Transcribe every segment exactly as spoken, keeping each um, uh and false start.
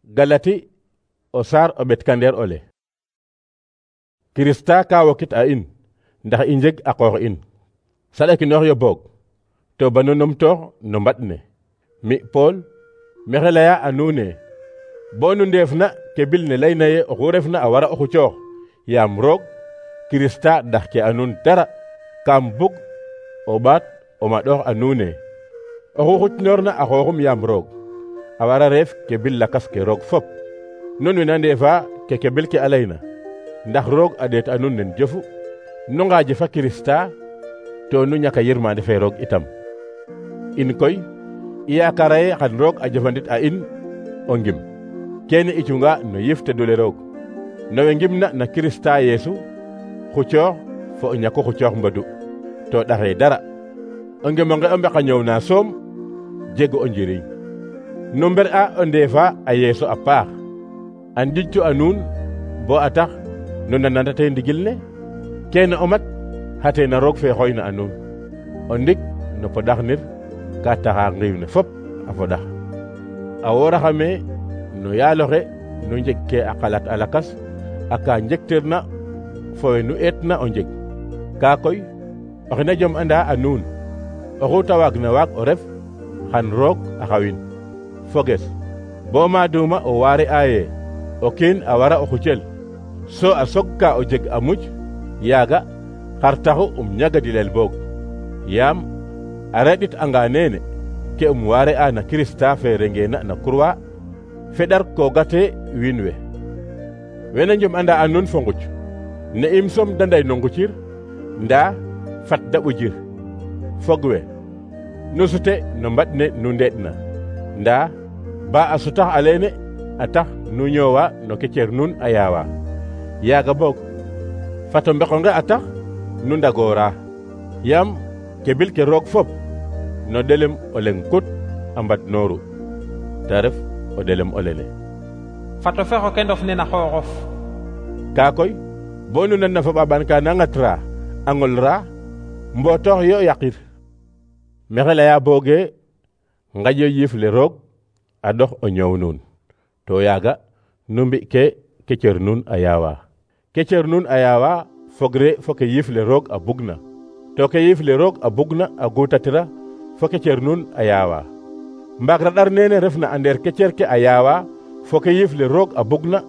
Galati o saar o ɓetkandeer ole. Kirista ka wokit a in ndax i njeg a qoox in saɗakinoox yo boog to banu numtoox no mbaɗ ne. Mi Pool maxey leya a nuun ne bo nu ndeefna ke bil ne layna ye oxu refna a wara o xucoox yaam roog Kirista daxke a nuun dara. Kaam bug o ɓaat o maɗoox a nuun ne oxu xucnoorna a xooxum yaam roog a wara reef ke bil lakas ke roog fop. Nun we na ndeefa ke ke bil ke a layna ndax roog a ɗeet a nuun nen jofu nu ngaaje fa Kirista to nu ñaka yirmande fe roog itam. In koy i yaakara ye xan roog a jëfandit a in o ngim kene i cunga no yif tedule roog no we ngimna na Kirista Yeesu xucoox fo o ñako xucoox mbadu to ɗaxe dara. O ngimonge o mbeka ñoow na soom jego o njiriñ. Nu mber a o ndeefa a Yeesu a paax a ndijtu a nuun bo a tax nu nanandate ndigil ne kene o mat xate na roog fe xooyna a nuun o ndik no poɗaxnir ka taxa ngiiw ne fop a foɗax. A wooraxame no yaaloxe nu njeg ke a xalat a lakas a ka njektirna fo we nu eetna o njeg. Ka koy oxe na jom anda a nuun oxu ta waagna waag o ref xan roog a xawin. Foges bo maaduma o waare aye o kiin a wara o xucel so a sogka o jeg a muc yaaga xar taxu um ñagadilel boog yaam a reɗit anga neene ke um waare a na Kirista fe rengeena na kurwa feɗar koogate wiin we. Wena njom anda a nuun fo nguc ne im som da nday no ngucir ndaa fat da ɓujir. Fog we nu sute no mbaɗ ne nu ndeɗna ndaa ba a sutax a leene a tax nu ñoowa no ke cer nuun a yaawa. Yaaga boog fato mbeqonge a tax nu ndagoora yaam ke bil ke roog fop no ɗelem o leŋ kut a mbad nooru ta ref o ɗelem o lene. Fato fexo ke ndof ne na xooxof. Kaa koy bo nu nanna fo ɓaɓan ka na ŋatra a ŋolra mbootox yo yaqir. Maxey leya booge ngaƴo yiif le roog a ɗox o ñoow nuun to yaaga nu mbi ke ke cer nuun a yaawa. Ke cer nuun a yaawa fogre fo ke yiif le roog a bugna to ke yiif le roog a bugna a guutatira fo ke cer nuun a yaawa. Mbaag raɗar nene refna a ndeer ke cer ke a yaawa fo ke yiif le roog a bugna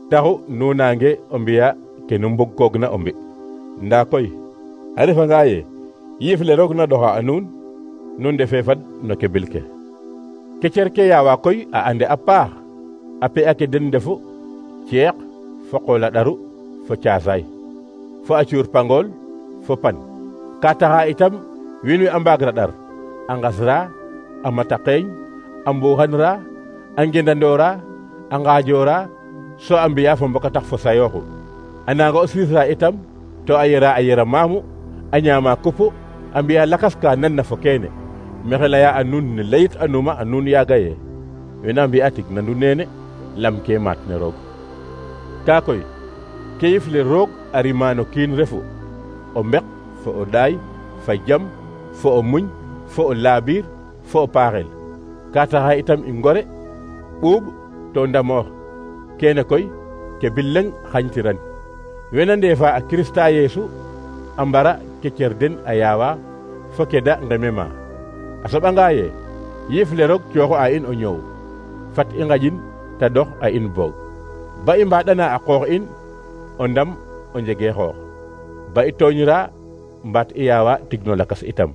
taxu nu nange o mbiya ke nu mbug koogna o mbi. Ndaa koy a refanga ye yiif le roog na ɗoxa a nuun nu ndefe fad no ke bil ke. Ke cer ke yaawa koy a ande a paax a pe'a ke den ndefu ceeq fo qool a ɗaru fo caasaay fo a cuur pangool fo pan. Ka taxa itam wiin we a mbaag raɗar a ngasra a mataqeeñ a mbuuxanra a ngendandoora a ngaajoora so a mbi'a fo mbokatax fo sayooxu. A nanga o siisra itam to a yera a yera maamu a ñaama kupu a mbi'a lakas ka nanna fo keene. Maxey leya a nuun ne layit anuma a nuun yaaga ye wena mbi'a tig nandu neene lam ke maat ne roog. Kaa koy ke yif le roog a rima no kiin refu o mbeq fo o ɗaay fa jam fo o muñ fo o laabiir fo o paaxel. Ka taxa itam i ngore ɓuuɓ to ndamoox kene koy ke bil leŋ xañtiran. Wena ndeefa a Kirista Yeesu a mbara ke cer den a yaawa fo ke da ngemema. A soɓanga ye yiif le roog cooxu a in o ñoow fat i ngaƴin ta dox a in boog ba i mbaɗana a qoox in o ndam o njege xoox ba i tooñra mbaat i yaawa tig no lakas itam.